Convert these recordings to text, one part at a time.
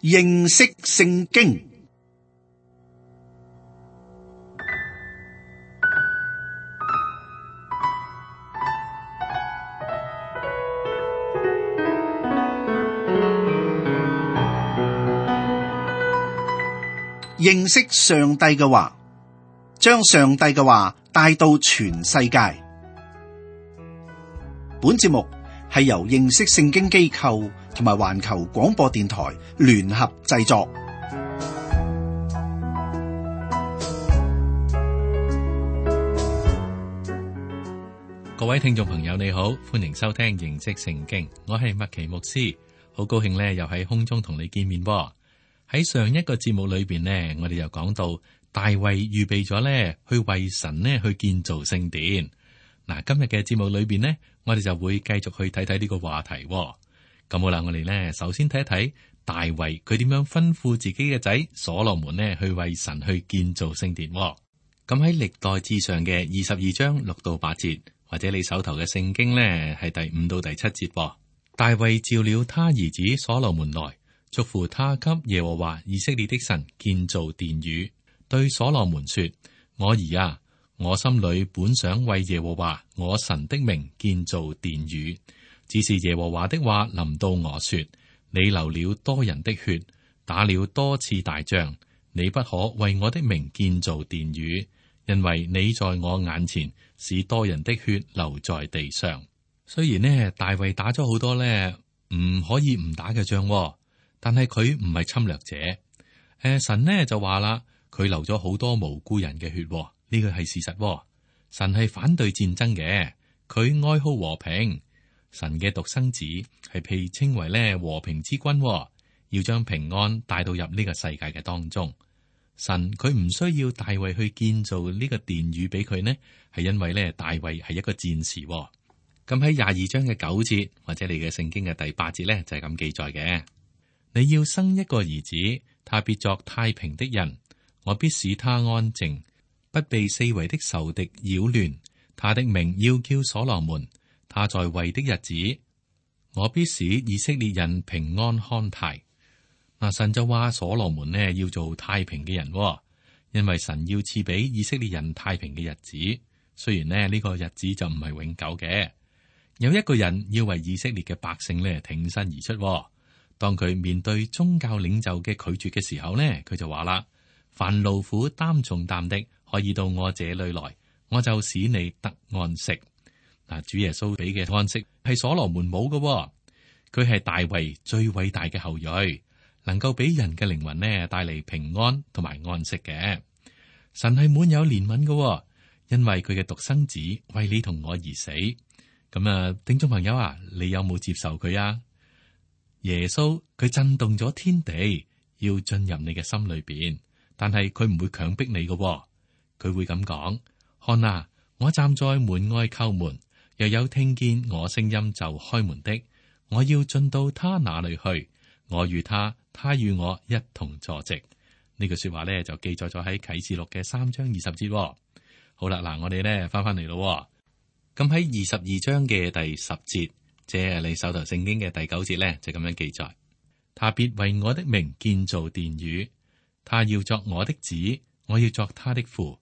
認識聖經。認識上帝嘅話，將上帝嘅話帶到全世界。本節目係由認識聖經機構同埋環球廣播電台聯合製作。各位聽眾朋友你好，歡迎收聽認識聖經，我係麥奇牧師，好高興咧又喺空中同你見面噃。喺上一個節目裏邊呢，我哋又講到大衛預備咗咧去為神呢去建造聖殿。嗱，今日嘅節目裏邊呢，我哋就會繼續去睇睇呢個話題。咁好啦，我哋呢首先睇一睇大衛佢點樣吩咐自己嘅仔所羅門呢去為神去建造聖殿。咁喺歷代志上嘅22章6到8節，或者你手頭嘅聖經呢係第5到第7節。大衛召了他兒子所羅門來，囑咐他給耶和華以色列的神建造殿宇，對所羅門說：我兒啊，我心裏本想為耶和華我神的名建造殿宇，只是耶和華的話臨到我說：你流了多人的血，打了多次大仗，你不可為我的名建造殿宇，因為你在我眼前使多人的血流在地上。雖然呢，大衛打咗好多呢唔可以唔打嘅仗，但係佢唔係侵略者。神呢就話啦，佢流咗好多無辜人嘅血，呢個係事實。神係反對戰爭嘅，佢愛好和平。神嘅獨生子係被稱為咧和平之君，要將平安帶到入呢個世界嘅當中。神佢唔需要大衛去建造呢個殿宇俾佢呢，係因為咧大衛係一個戰士。咁喺22章嘅9節或者你嘅聖經嘅第8節咧就係咁記載嘅。你要生一個兒子，他必作太平的人，我必使他安靜，不被四圍的仇敵擾亂。他的名要叫所羅門，他在位的日子，我必使以色列人平安康泰。嗱，神就話所羅門呢要做太平嘅人，因為神要賜俾以色列人太平嘅日子。雖然呢個日子就唔係永久嘅，有一個人要為以色列嘅百姓呢挺身而出。當佢面對宗教領袖嘅拒絕嘅時候呢，佢就話啦：凡勞苦擔重擔的，可以到我這裏來，我就使你得安息。嗱，主耶穌俾嘅安息係所羅門冇嘅，佢係大衛最偉大嘅後裔，能夠俾人嘅靈魂呢帶嚟平安同埋安息嘅。神係滿有憐憫嘅，因為佢嘅獨生子為你同我而死。咁啊，聽眾朋友啊，你有冇接受佢啊？耶穌佢震動咗天地，要進入你嘅心裏邊，但係佢唔會強迫你嘅。佢會咁講：看啊，我站在門外叩門，若有聽見我聲音就開門的，我要進到他那裏去，我與他，他與我一同坐席。呢句說話咧就記載咗喺啟示錄嘅3章20節。好啦，嗱，我哋咧翻翻嚟咯。咁喺22章嘅第10節。即係你手頭聖經嘅第9節咧，就咁樣記載：他必為我的名建造殿宇，他要作我的子，我要作他的父，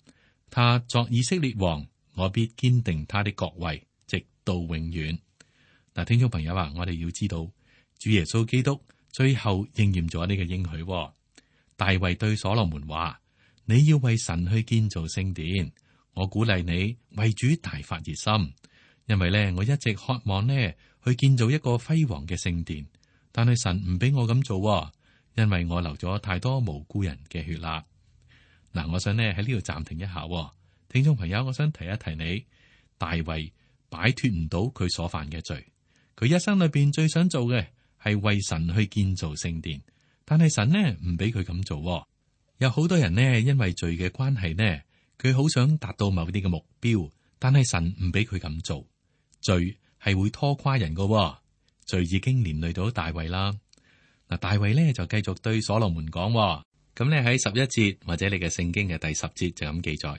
他作以色列王，我必堅定他的國位，直到永遠。嗱，聽眾朋友啊，我哋要知道主耶穌基督最後應驗咗呢個應許。大衛對所羅門話：你要為神去建造聖殿，我鼓勵你為主大發熱心，因為咧我一直渴望呢去建造一個輝煌嘅聖殿，但係神唔俾我咁做，因為我流咗太多無辜人嘅血啦。嗱，我想呢喺呢度暫停一下，聽眾朋友，我想提一提你，大衛擺脫唔到佢所犯嘅罪，佢一生裏邊最想做嘅係為神去建造聖殿，但係神呢唔俾佢咁做。有好多人呢因為罪嘅關係呢，佢好想達到某啲嘅目標，但係神唔俾佢咁做。罪係會拖垮人噶，罪已經連累到大衛啦。嗱，大衛咧就繼續對所羅門講，咁咧喺11節或者你嘅聖經嘅第10節就咁記載：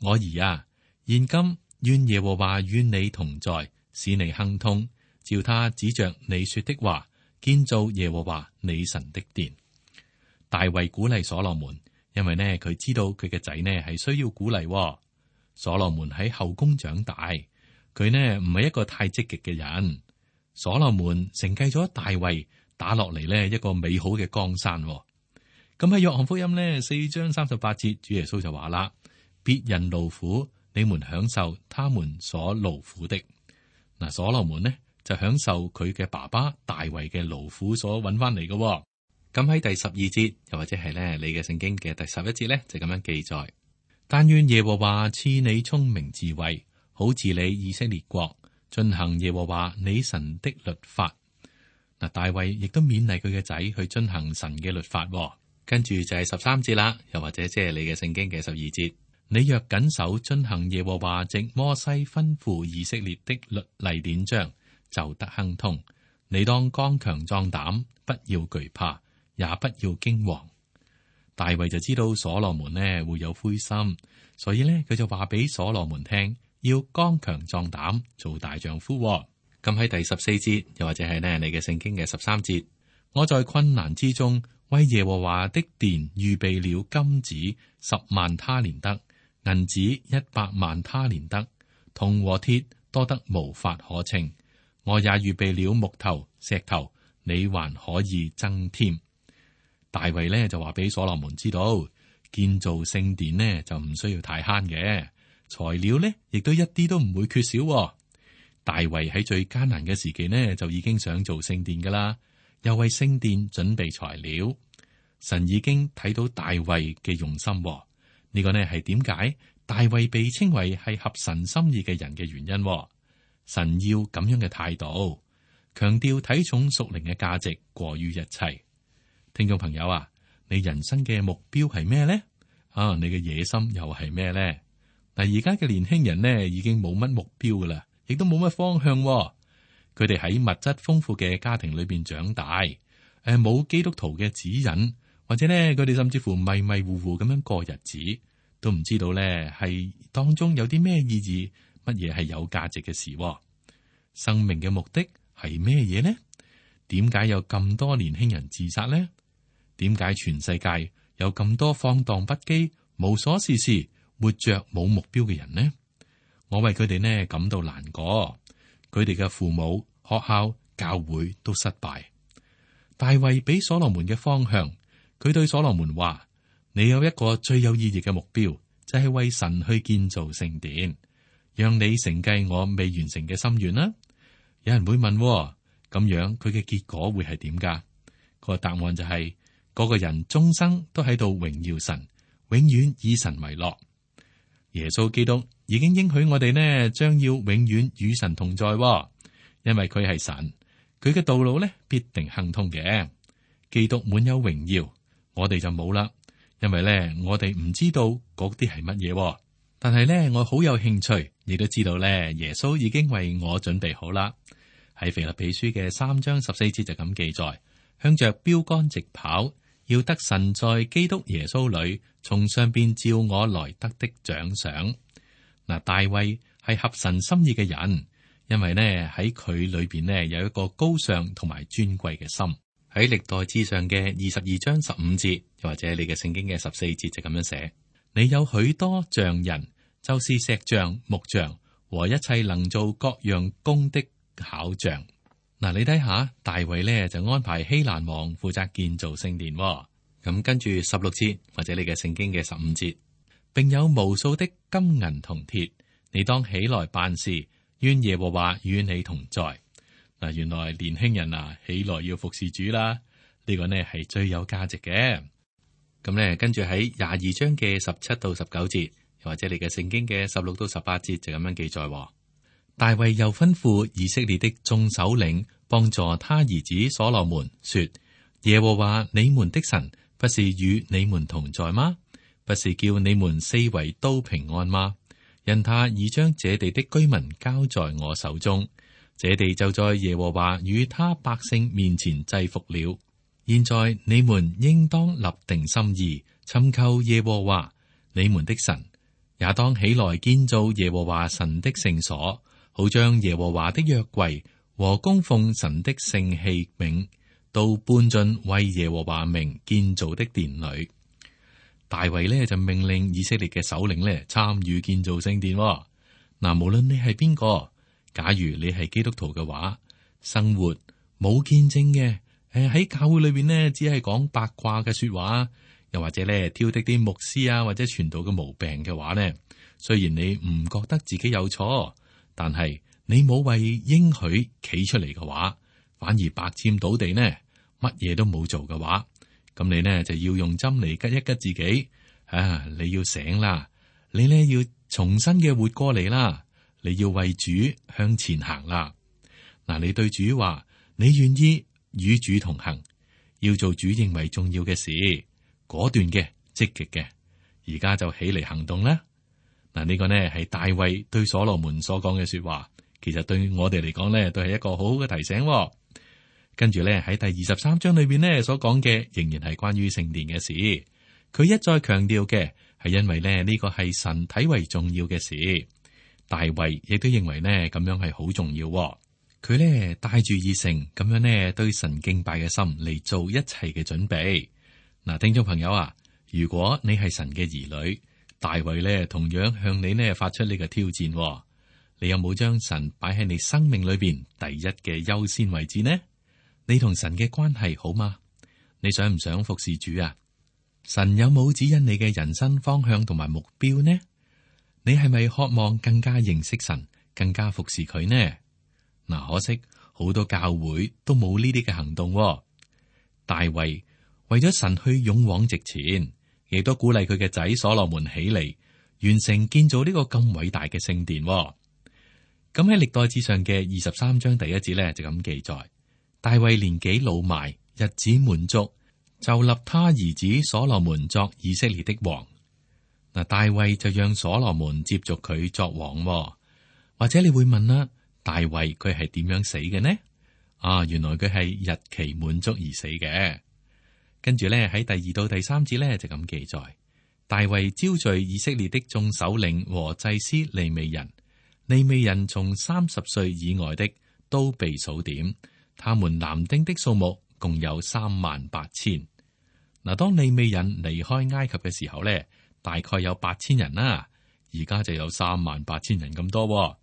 我兒啊，現今願耶和華與你同在，使你亨通，照他指着你說的話，建造耶和華你神的殿。大衛鼓勵所羅門，因為呢佢知道佢嘅仔呢係需要鼓勵。所羅門喺後宮長大，佢呢唔係一個太積極嘅人。所羅門承繼咗大衛打落嚟呢一個美好嘅江山。咁喺約翰福音呢4章38節，主耶穌就話啦：別人勞苦，你們享受他們所勞苦的。嗱，所羅門呢就享受佢嘅爸爸大衛嘅勞苦所揾翻嚟嘅。咁喺第12節，又或者係咧你嘅聖經嘅第11節咧，就咁樣記載：但願耶和華賜你聰明智慧，好治理以色列國，遵行耶和華你神的律法。嗱，大衛亦都勉勵佢嘅仔去遵行神嘅律法。跟住就係13節啦，又或者即係你嘅聖經嘅12節：你若謹守遵行耶和華藉摩西吩咐以色列的律例典章，就得亨通。你當剛強壯膽，不要懼怕，也不要驚惶。大衛就知道所羅門呢會有灰心，所以呢，佢就話俾所羅門聽，要剛強壯膽，做大丈夫。咁喺第14節，又或者係呢你嘅聖經嘅13節：我在困難之中為耶和華的殿預備了金子10萬他連得，銀子100萬他連得，銅和鐵多得無法可稱。我也預備了木頭石頭，你還可以增添。大衛呢就話俾所羅門知道，建造聖殿呢就唔需要太慳嘅，材料呢亦都一啲都唔會缺少。大衛喺最艱難嘅時期呢就已經想做聖殿噶啦，又為聖殿準備材料。神已經睇到大衛嘅用心，呢個呢係點解大衛被稱為係合神心意嘅人嘅原因。神要咁樣嘅態度，強調睇重屬靈嘅價值過於一切。聽眾朋友啊，你人生嘅目標係咩呢？你嘅野心又係咩呢？嗱，而家嘅年輕人呢，已經冇乜目標噶啦，亦都冇乜方向。佢哋喺物質豐富嘅家庭裏邊長大，冇基督徒嘅指引，或者呢，佢哋甚至乎迷迷糊糊咁樣過日子，都唔知道呢係當中有啲咩意義，乜嘢係有價值嘅事。生命嘅目的係咩嘢呢？點解有咁多年輕人自殺呢？點解全世界有咁多放蕩不羈、無所事事、活着冇目標嘅人呢？我為佢哋呢感到難過，佢哋嘅父母、學校、教會都失敗。大衛俾所羅門嘅方向，佢對所羅門話：你有一個最有意義嘅目標，就係為神去建造聖殿，讓你承繼我未完成嘅心願啦。有人會問，咁樣佢嘅結果會係點噶？個答案就係嗰個人終生都喺度榮耀神，永遠以神為樂。耶穌基督已經應許我哋呢，將要永遠與神同在，因為佢係神，佢嘅道路呢必定亨通嘅。基督滿有榮耀，我哋就冇啦，因為呢我哋唔知道嗰啲係乜嘢，但係呢我好有興趣，亦都知道呢耶穌已經為我準備好啦。喺腓立比書嘅3章14節就咁記載：向着標杆直跑，要得神在基督耶穌裏從上邊召我來得的獎賞。嗱，大衛係合神心意嘅人，因為呢喺佢裏邊呢有一個高尚同埋尊貴嘅心。喺歷代志上嘅22章15節，又或者你嘅聖經嘅14節就咁樣寫：你有許多匠人，就是石匠、木匠和一切能做各樣工的巧匠。嗱，你睇下大衛呢就安排希蘭王負責建造聖殿。咁跟住16節或者你嘅聖經嘅15節，並有無數的金銀銅鐵，你當起來辦事，願耶和華與你同在。嗱，原來年輕人啊起來要服侍主啦，呢個呢係最有價值嘅。咁呢跟住喺22章嘅17到19節，又或者你嘅聖經嘅16到18節就咁樣記載。大衛又吩咐以色列的眾首領幫助他兒子所羅門說：耶和華你們的神不是與你們同在嗎？不是叫你們四圍都平安嗎？因他已將這地的居民交在我手中，這地就在耶和華與他百姓面前制服了。現在你們應當立定心意，尋求耶和華你們的神，也當起來建造耶和華神的聖所，好將耶和華的約櫃和供奉神的聖器皿都搬進為耶和華名建造的殿裏。大衛呢就命令以色列嘅首領呢參與建造聖殿。嗱，無論你係邊個，假如你係基督徒嘅話，生活冇見證嘅，喺教會裏邊呢只係講八卦嘅說話，又或者呢挑剔啲牧師啊或者傳道嘅毛病嘅話呢，雖然你唔覺得自己有錯，但係你冇為應許企出嚟嘅話，反而白佔倒地呢，乜嘢都冇做嘅話，咁你呢就要用針嚟吉一吉自己啊！你要醒啦，你呢要重新嘅活過嚟啦，你要為主向前行啦。嗱，你對主話，你願意與主同行，要做主認為重要嘅事，果斷嘅、積極嘅，而家就起嚟行動啦。嗱，呢個呢係大衛對所羅門所講嘅說話，其實對我哋嚟講呢，都係一個好好嘅提醒。跟住咧喺第23章裏邊呢所講嘅，仍然係關於聖殿嘅事。佢一再強調嘅係因為咧呢個係神睇為重要嘅事。大衛亦都認為呢咁樣係好重要。佢呢帶住熱誠咁樣呢對神敬拜嘅心嚟做一切嘅準備。嗱，聽眾朋友啊，如果你係神嘅兒女，大衛呢同樣向你呢發出呢個挑戰。你有冇將神擺喺你生命裏邊第一嘅優先位置呢？你同神嘅關係好嗎？你想唔想服侍主啊？神有冇指引你嘅人生方向同埋目標呢？你係咪渴望更加認識神，更加服侍佢呢？嗱，可惜好多教會都冇呢啲嘅行動。大衛為咗神去勇往直前，亦都鼓勵佢嘅仔所羅門起嚟，完成建造呢個咁偉大嘅聖殿。咁喺歷代志上嘅23章第1節咧就咁記載。大衛年紀老邁，日子滿足，就立他兒子所羅門作以色列的王。嗱，大衛就讓所羅門接續佢作王。或者你會問啦，大衛佢係點樣死嘅呢？原來佢係日期滿足而死嘅。跟住咧喺第2到第3節咧就咁記載，大衛招聚以色列的眾首領和祭司利未人，利未人從30歲以外的都被數點。他們男丁的數目共有38000。嗱，當利未人離開埃及嘅時候咧，大概有8000人啦，而家就有38000人咁多。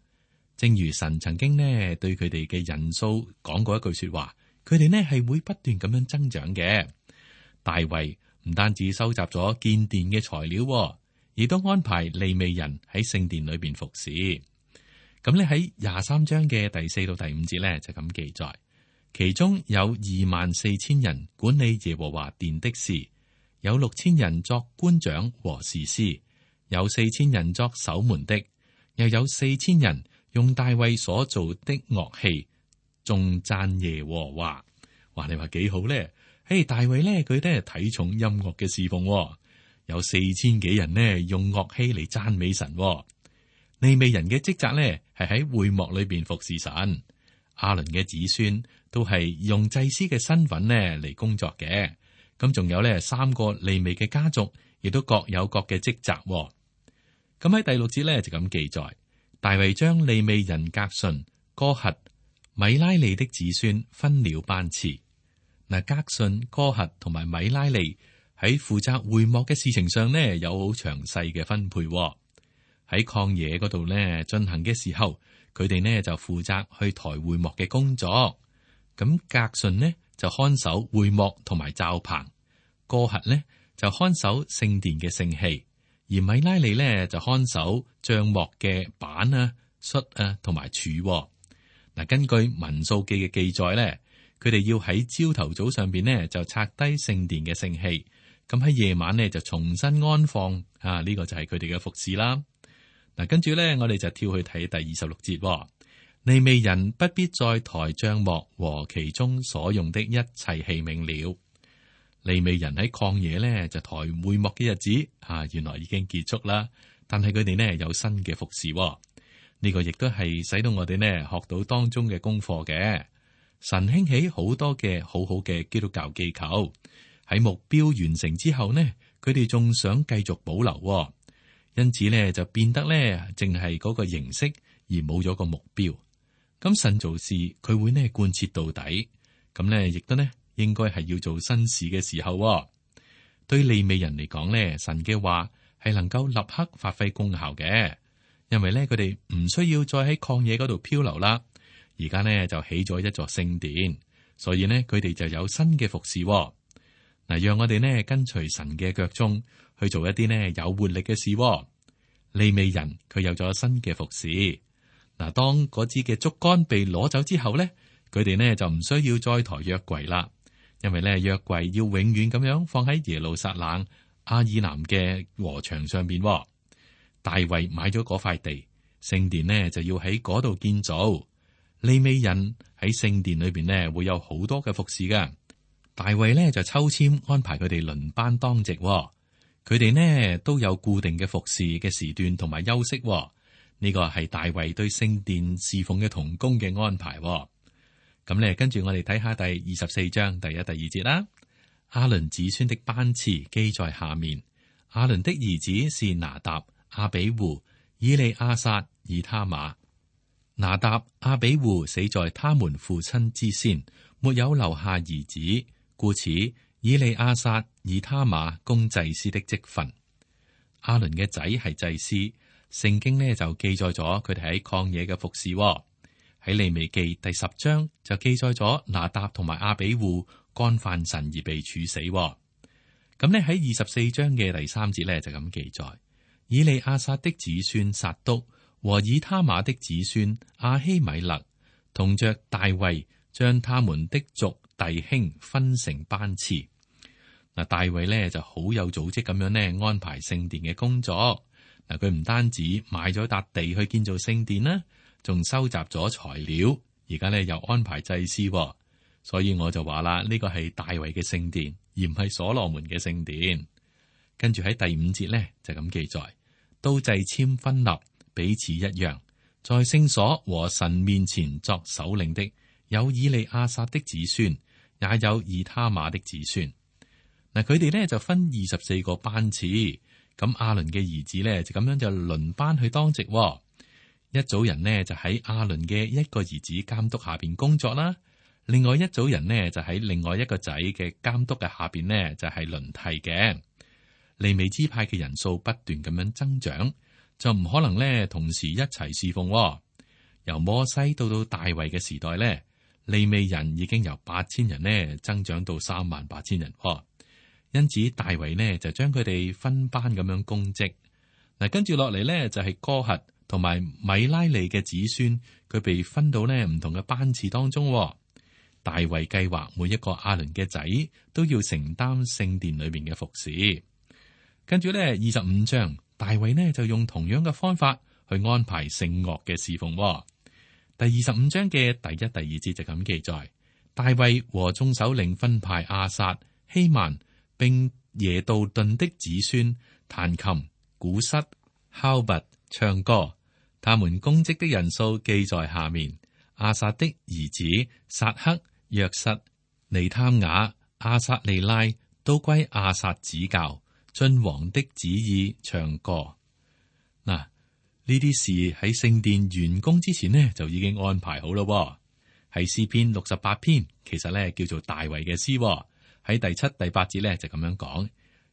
正如神曾經呢對佢哋嘅人數講過一句說話，佢哋呢係會不斷咁樣增長嘅。大衛唔單止收集咗建殿嘅材料，亦都安排利未人喺聖殿裏邊服侍。咁咧喺23章嘅第4到第5節咧就咁記載。其中有24000人管理耶和華殿的事，有6000人作官長和士師，有4000人作守門的，又有4000人用大衛所做的樂器，頌讚耶和華。哇，你話幾好咧？大衛咧佢都係睇重音樂嘅侍奉，有4000幾人呢用樂器嚟讚美神。利未人嘅職責咧係喺會幕裏邊服侍神。亞倫嘅子孫都係用祭司嘅身份呢嚟工作嘅，咁仲有呢3個利未嘅家族，亦都各有各嘅職責。咁喺第6節呢，就咁記載，大衛將利未人革順、哥轄、米拉利的子孫分了班次。嗱，革順、哥轄同埋米拉利喺負責會幕嘅事情上呢，有好詳細嘅分配。喺曠野嗰度呢進行嘅時候，佢哋呢就負責去抬會幕嘅工作，咁革順呢就看守會幕同埋罩棚，哥轄呢就看守聖殿嘅聖器，而米拉利呢就看守帳幕嘅板啊、恤啊同埋柱。嗱，根據民數記嘅記載呢，佢哋要喺朝頭早上邊呢就拆低聖殿嘅聖器，咁喺夜晚呢就重新安放。呢個就係佢哋嘅服侍啦。嗱，跟住咧，我哋就跳去睇第26節。利未人不必再抬帳幕和其中所用的一切器皿了。利未人喺曠野咧就抬會幕嘅日子，原來已經結束啦。但係佢哋呢有新嘅服侍，呢個亦都係使到我哋呢學到當中嘅功課嘅。神興起好多嘅好好嘅基督教機構，喺目標完成之後呢，佢哋仲想繼續保留。因此咧，就變得咧，淨係嗰個形式而冇咗個目標。咁神做事，佢會呢貫徹到底。咁咧，亦都呢應該係要做新事嘅時候。對利未人嚟講呢，神嘅話係能夠立刻發揮功效嘅，因為呢，佢哋唔需要再喺曠野嗰度漂流啦。而家呢，就起咗一座聖殿，所以呢，佢哋就有新嘅服侍。嗱，讓我哋呢跟隨神嘅腳蹤去做一啲呢有活力嘅事。利未人佢有咗新嘅服侍。嗱，當嗰支嘅竹竿被攞走之後呢，佢哋呢就唔需要再抬約櫃啦，因為呢約櫃要永遠咁樣放喺耶路撒冷亞爾南嘅禾場上邊。大衛買咗嗰塊地，聖殿呢就要喺嗰度建造。利未人喺聖殿裏邊呢會有好多嘅服侍噶。大衛呢就抽籤安排佢哋輪班當值，佢哋呢都有固定嘅服侍嘅時段同埋休息。呢個係大衛對聖殿侍奉嘅同工嘅安排。咁咧，跟住我哋睇下第24章第1、第2節啦。亞倫子孫的班次記在下面。亞倫的兒子是拿答、亞比戶、以利亞撒、以他瑪。拿答、亞比戶死在他們父親之先，沒有留下兒子，故此以利亞撒、以他瑪供祭司的職分。亞倫嘅仔係祭司。聖經呢就記載咗佢哋喺曠野嘅服侍。喺利未記第10章就記載咗拿答同埋亞比戶干犯神而被處死。咁呢喺24章嘅第3節呢就咁記載：以利亞撒的子孫撒督和以他瑪的子孫亞希米勒同着大衛將他們的族弟兄分成班次。嗱，大衛呢就好有組織咁樣呢安排聖殿嘅工作。嗱，佢唔單止買咗笪地去建造聖殿啦，仲收集咗材料，而家咧又安排祭司，所以我就話啦，呢個係大衛嘅聖殿，而唔係所羅門嘅聖殿。跟住喺第5節咧就咁記載：都掣籤分立，彼此一樣，在聖所和神面前作首領的，有以利亞撒的子孫，也有以他瑪的子孫。嗱，佢哋咧就分24個班次。咁亞倫嘅兒子咧就咁樣就輪班去當值。一組人呢就喺亞倫嘅一個兒子監督下邊工作啦，另外一組人呢就喺另外一個仔嘅監督嘅下邊呢就係輪替嘅。利未支派嘅人數不斷咁樣增長，就唔可能呢同時一齊侍奉。由摩西到大衛嘅時代呢，利未人已經由8000人呢增長到38000人。因此大衛呢就將佢哋分班咁樣供職。嗱，跟住落嚟呢就係哥轄同埋米拉利嘅子孫，佢被分到呢唔同嘅班次當中。大衛計劃每一個亞倫嘅仔都要承擔聖殿裏面嘅服侍。跟住呢25章，大衛呢就用同樣嘅方法去安排聖樂嘅侍奉。第25章嘅第1、第2節就咁記載：大衛和眾首領分派亞薩、希曼並耶杜頓的子孫彈琴、鼓瑟、敲鈸、唱歌，他們供職的人數記在下面。亞薩的兒子撒克、約瑟、尼探雅、亞撒利拉都歸亞薩指教，遵王的旨意唱歌。嗱，呢啲事喺聖殿完工之前呢就已經安排好咯。係詩篇68篇，其實咧叫做大衛嘅詩。喺第7、第8節咧就咁樣講：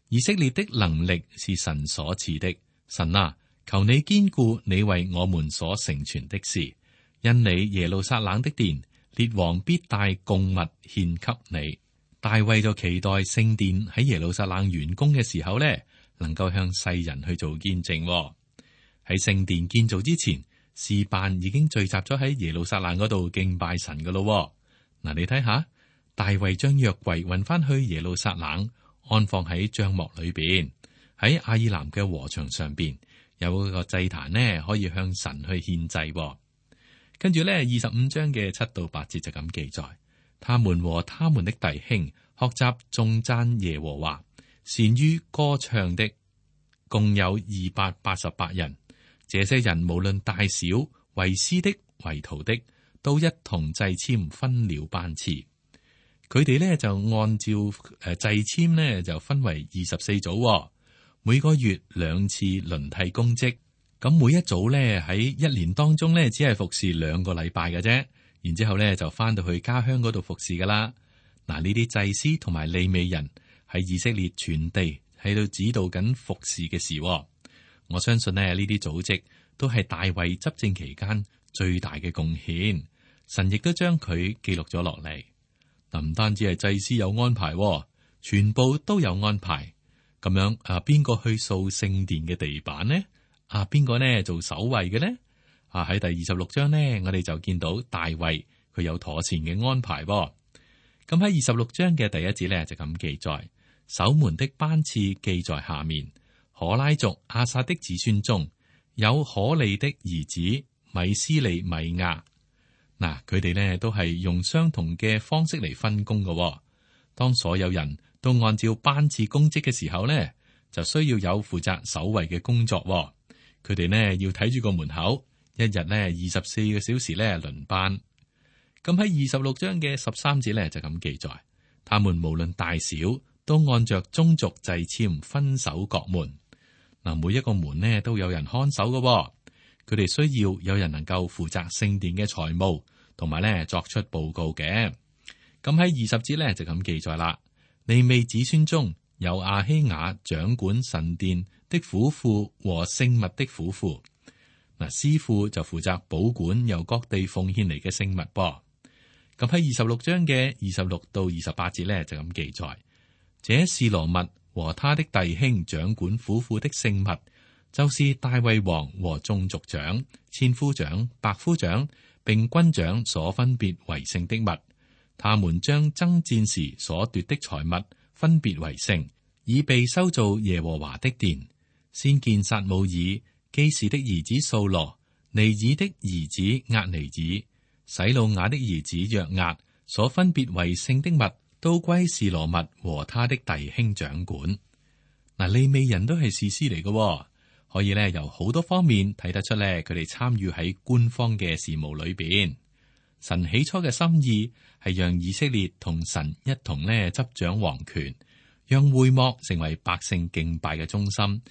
以色列的能力是神所賜的，神啊，求你堅固你為我們所成全的事，因你耶路撒冷的殿，列王必帶供物獻給你。大衛就期待聖殿喺耶路撒冷完工嘅時候咧，能夠向世人去做見證。喺聖殿建造之前，詩班已經聚集咗喺耶路撒冷嗰度敬拜神噶咯。嗱，你睇下。大衛將約櫃運翻去耶路撒冷，安放喺帳幕裏邊。喺亞爾南嘅禾場上邊有一個祭壇呢，可以向神去獻祭。跟住呢25章嘅7到8節就咁記載：他們和他們的弟兄學習頌讚耶和華，善於歌唱的，共有288人。這些人無論大小，為師的、為徒的，都一同掣籤分了班次。佢哋咧就按照掣籤咧就分為24組，每個月2次輪替公職。咁每一組咧喺一年當中咧只係服侍2個禮拜嘅啫，然之後咧就翻到去家鄉嗰度服侍噶啦。嗱，呢啲祭司同埋利未人喺以色列全地喺度指導緊服侍嘅事。我相信呢啲組織都係大衛執政期間最大嘅貢獻。神亦都將佢記錄咗落嚟。嗱，唔單止係祭司有安排，全部都有安排。咁樣邊個去掃聖殿嘅地板呢？邊個呢做守衛嘅呢？喺第26章呢，我哋就見到大衛佢有妥善嘅安排。咁喺26章嘅第1節呢，就咁記載：守門的班次記在下面。可拉族亞薩的子孫中有可利的兒子米斯利米亞。嗱，佢哋呢都係用相同嘅方式嚟分工嘅。當所有人都按照班次公職嘅時候呢，就需要有負責守衛嘅工作。佢哋呢要睇住個門口，一日呢24個小時呢輪班。咁喺26章嘅13節呢，就咁記載：他們無論大小，都按着宗族掣籤分守各門。嗱，每一個門呢都有人看守嘅。佢哋需要有人能夠負責聖殿嘅財務，同埋咧作出報告嘅。咁喺20節咧就咁記載啦。利未子孫中有亞希雅掌管神殿的府庫和聖物的府庫。嗱，司庫就負責保管由各地奉獻嚟嘅聖物噃。咁喺26章嘅26到28節咧就咁記載。這示羅密和他的弟兄掌管府庫的聖物，就是大衛王和眾族長、千夫長、百夫長並軍長所分別為聖的物。他們將爭戰時所奪的財物分別為聖，以備修造耶和華的殿。先見撒母耳、基士的兒子掃羅、尼爾的兒子押尼爾、洗魯雅的兒子約押所分別為聖的物，都歸示羅密和他的弟兄掌管。嗱，利未人都係士師嚟嘅，可以咧由好多方面睇得出咧，佢哋參與喺官方嘅事務裏邊。神起初嘅心意係讓以色列同神一同咧執掌王權，讓會幕成為百姓敬拜嘅中心，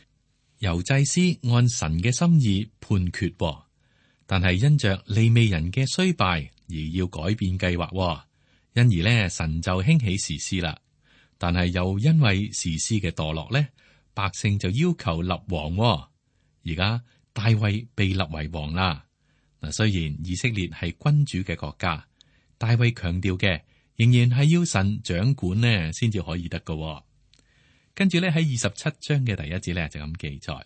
由祭司按神嘅心意判決。但係因着利未人嘅衰敗而要改變計劃，因而咧神就興起士師啦。但係又因為士師嘅墮落咧，百姓就要求立王。而家大衛被立為王啦。嗱，雖然以色列係君主嘅國家，大衛強調嘅仍然係要神掌管呢，先至可以得㗎。跟住咧喺27章嘅第1節咧就咁記載：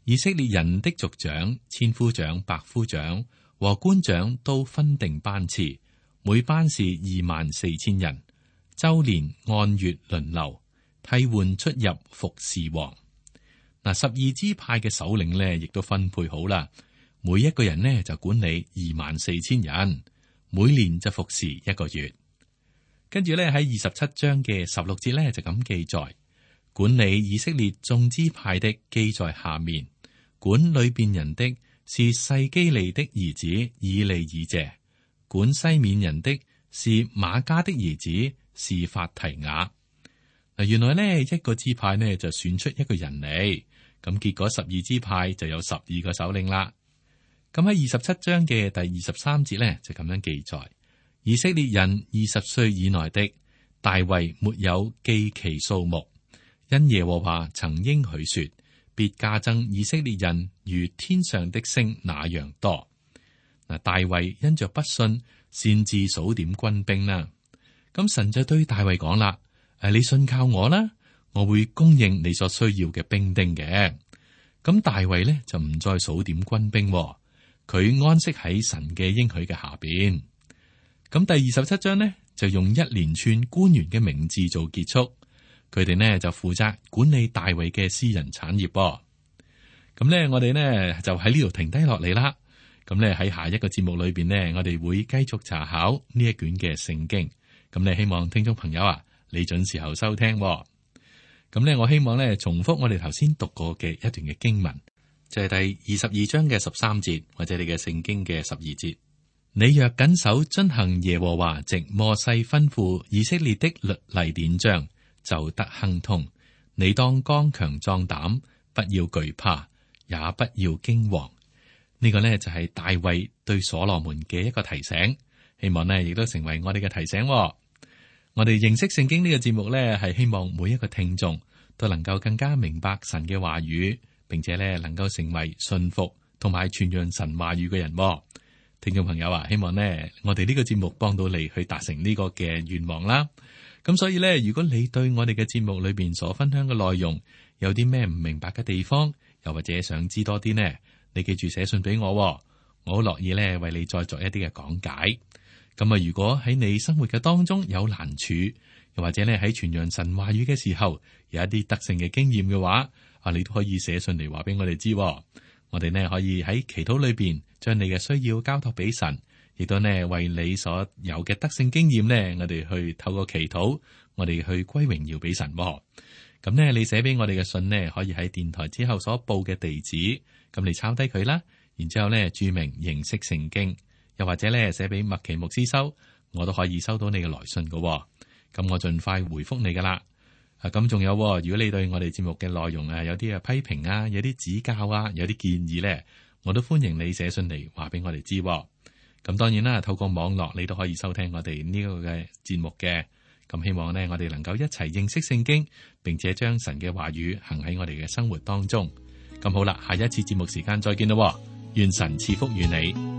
以色列人的族長、千夫長、百夫長和官長都分定班次，每班是24,000人，周年按月輪流替換出入服侍王。嗱，12支派嘅首領呢，亦都分配好啦。每一個人呢，就管理24,000人，每年就服侍1個月。跟住呢，喺27章嘅16節呢，就咁記載：管理以色列眾支派的記在下面，管裏邊人的是細基利的兒子以利以謝，管西緬人的是瑪迦的兒子示法提雅。嗱，原來呢一個支派呢就選出一個人嚟，咁結果12支派就有12個首領啦。咁喺27章嘅第23節呢就咁樣記載：以色列人20歲以內的，大衛沒有記其數目，因耶和華曾應許說，必加增以色列人如天上的星那樣多。嗱，大衛因着不信，擅自數點軍兵啦。咁神就對大衛講啦：你信靠我啦，我會供應你所需要嘅兵丁嘅。咁大衛呢就唔再數點軍兵，佢安息喺神嘅應許嘅下邊。咁第27章呢就用一連串官員嘅名字做結束，佢哋呢就負責管理大衛嘅私人產業。咁呢，我哋呢就喺呢度停低落嚟啦。咁呢喺下一個節目裏邊呢，我哋會繼續查考呢一卷嘅聖經。咁你希望聽眾朋友啊，你準時候收聽。咁呢，我希望呢重複我哋頭先讀過嘅一段嘅經文，就係第22章嘅13節，或者你嘅聖經嘅12節。你若謹守遵行耶和華藉摩西吩咐以色列的律例典章，就得亨通。你當剛強壯膽，不要懼怕，也不要驚惶。呢個呢就係大衛對所羅門嘅一個提醒，希望呢亦都成為我哋嘅提醒。我哋認識聖經呢個節目呢，係希望每一個聽眾都能夠更加明白神嘅話語，並且呢能夠成為信服同埋傳揚神話語嘅人。聽眾朋友啊，希望呢我哋呢個節目幫到你去達成呢個嘅願望啦。咁所以呢，如果你對我哋嘅節目裏邊所分享嘅內容有啲咩唔明白嘅地方，又或者想知多啲呢，你記住寫信俾我，我好樂意呢為你再作一啲嘅講解。咁啊，如果喺你生活嘅當中有難處，又或者呢喺傳揚神話語嘅時候有一啲得勝嘅經驗嘅話，你都可以寫信嚟話俾我哋知。我哋呢可以喺祈禱裏邊將你嘅需要交託俾神，亦都呢為你所有嘅得勝經驗呢，我哋去透過祈禱，我哋去歸榮耀俾神。咁呢，你寫俾我哋嘅信呢，可以喺電台之後所報嘅地址，咁你抄低佢啦，然之後呢注明認識聖經，又或者呢寫俾麥奇牧師收，我都可以收到你嘅來信噶。咁我盡快回覆你噶啦。咁仲有，如果你對我哋節目嘅內容有啲嘅批評啊，有啲指教啊，有啲建議呢，我都歡迎你寫信嚟話俾我哋知。咁當然啦，透過網絡你都可以收聽我哋呢個嘅節目嘅。咁希望呢，我哋能夠一齊認識聖經，並且將神嘅話語行喺我哋嘅生活當中。咁好啦，下一次節目時間再見咯。願神賜福與你。